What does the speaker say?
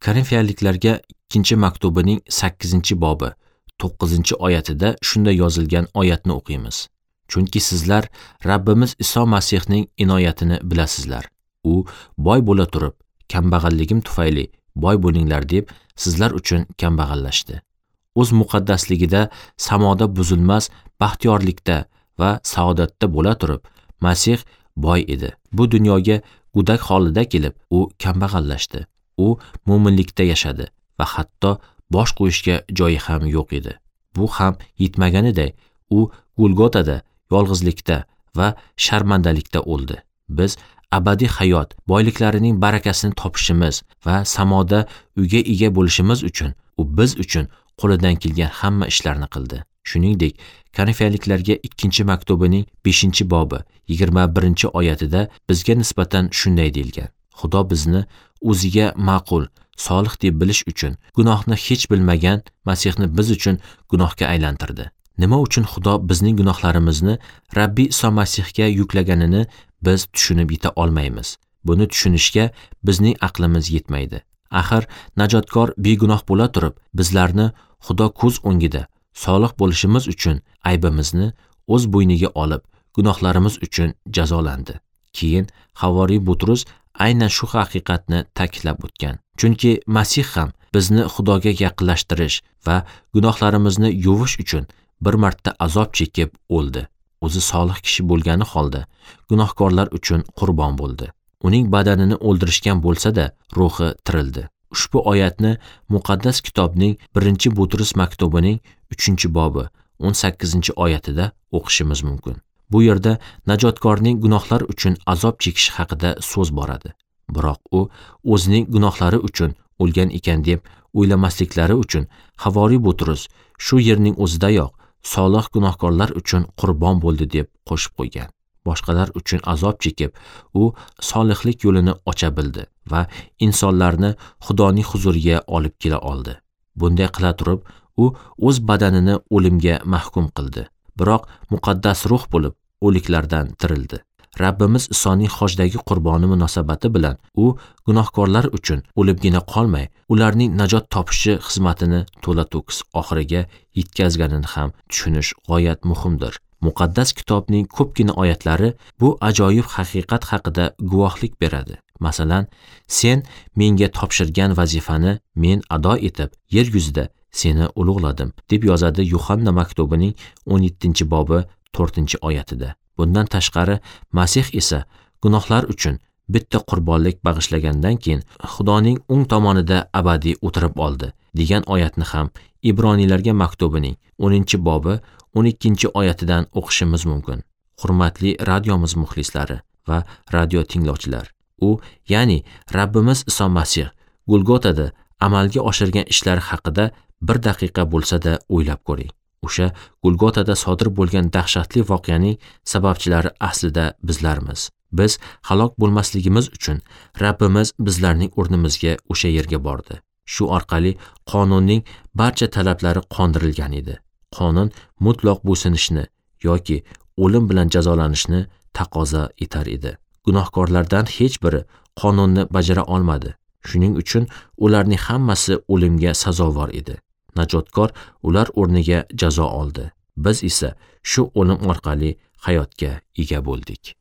Korinfiyaliklarga 2-maktubining 8-bobi 9-oyatida shunday yozilgan oyatni o'qiymiz. Chunki sizlar Rabbimiz Iso Masihning inoyatini bilasizlar. U boy bo'la turib, kambag'alligim tufayli boy bo'linglar deb sizlar uchun kambag'allashdi. O'z muqaddasligida samoda buzilmas baxtiyorlikda va saodatda bo'la turib, Masih boy edi. Bu dunyoga gudak holida kelib, u kambag'allashdi. U mo'minlikda yashadi va hatto bosh qo'yishga joyi ham yo'q edi. Bu ham yetmaganiday, u Golgotada yolg'izlikda va sharmandalikda o'ldi. Biz abadiy hayot boyliklarining barakasini topishimiz va samoda uyga ega bo'lishimiz uchun u biz uchun qo'lidan kelgan hamma ishlarni qildi. Shuningdek, Korinfiyaliklarga 2-maktubining 5-bobi 21-oyatida bizga nisbatan shunday deyilgan: Xudo bizni o'ziga ma'qul, solih deb bilish uchun gunohni hech bilmagan Masihni biz uchun gunohga aylantirdi. Nima uchun Xudo bizning gunohlarimizni Rabbiy Iso Masihga yuklaganini biz tushunib yeta olmaymiz. Buni tushunishga bizning aqlimiz yetmaydi. Axir najotkor begunoh bo'la turib, bizlarni Xudo ko'z o'ngida solih bo'lishimiz uchun aybimizni o'z bo'yniga olib, gunohlarimiz uchun jazolandi. Keyin Havoriy Butrus aynan shu haqiqatni ta'kidlab o'tgan. Chunki Masih ham bizni Xudoga yaqinlashtirish va gunohlarimizni yuvish uchun bir marta azob chekib o'ldi. O'zi solih kishi bo'lgani holda gunohkorlar uchun qurbon bo'ldi. Uning badanini o'ldirishgan bo'lsa-da, ruhi tirildi. Ushbu oyatni Muqaddas kitobning 1-Butrus maktubining 3-bobi 18-oyatida o'qishimiz mumkin. Bu yerda najotkorning gunohlar uchun azob chekishi haqida so'z boradi. Biroq u o'zining gunohlari uchun o'lgan ekan deb o'ylamasliklari uchun Havoriy Butrus shu yerning o'zidayoq solih gunohkorlar uchun qurbon bo'ldi deb qo'shib qo'ygan. Boshqalar uchun azob chekib, u solihlik yo'lini ocha bildi va insonlarni Xudoning huzuriga olib kela oldi. Bunday qila turib, u o'z badanini o'limga mahkum qildi. Biroq muqaddas ruh bo'lib o'liklardan tirildi. Rabbimiz Isoning xojdagi qurboni munosabati bilan u gunohkorlar uchun o'libgina qolmay, ularning najot topishi xizmatini to'la-to'kis oxiriga yetkazganini ham tushunish g'oyat muhimdir. Muqaddas kitobning ko'pgina oyatlari bu ajoyib haqiqat haqida guvohlik beradi. Masalan, sen menga topshirgan vazifani men ado etib, yer yuzida seni ulug'ladim, deb yozadi Yuhanna maktubining 17-bobi 4-oyatida. Bundan tashqari, Masih esa gunohlar uchun bitta qurbonlik bag'ishlagandan keyin Xudoning o'ng tomonida abadiy o'tirib oldi degan oyatni ham Ibroniylarga maktubining 10-bobi 12-oyatidan o'qishimiz mumkin. Hurmatli radiomiz muxlislari va radio tinglovchilar, u, ya'ni Rabbimiz Iso Masih Golgotada amalga oshirgan ishlari haqida bir daqiqa bo'lsa-da o'ylab ko'ring. O'sha Golgotada sodir bo'lgan dahshatli voqeaning sababchilari aslida bizlarmiz. Biz halok bo'lmasligimiz uchun Rabbimiz bizlarning o'rnimizga o'sha yerga bordi. Shu orqali qonunning barcha talablari qondirilgan edi. Qonun mutlaq bo'ysunishni yoki o'lim bilan jazolanishni taqozo etar edi. Gunohkorlardan hech biri qonunni bajara olmadi. Shuning uchun ularning hammasi o'limga sazovor edi. Najotkor ular o'rniga jazo oldi. Biz esa shu o'lim orqali hayotga ega bo'ldik.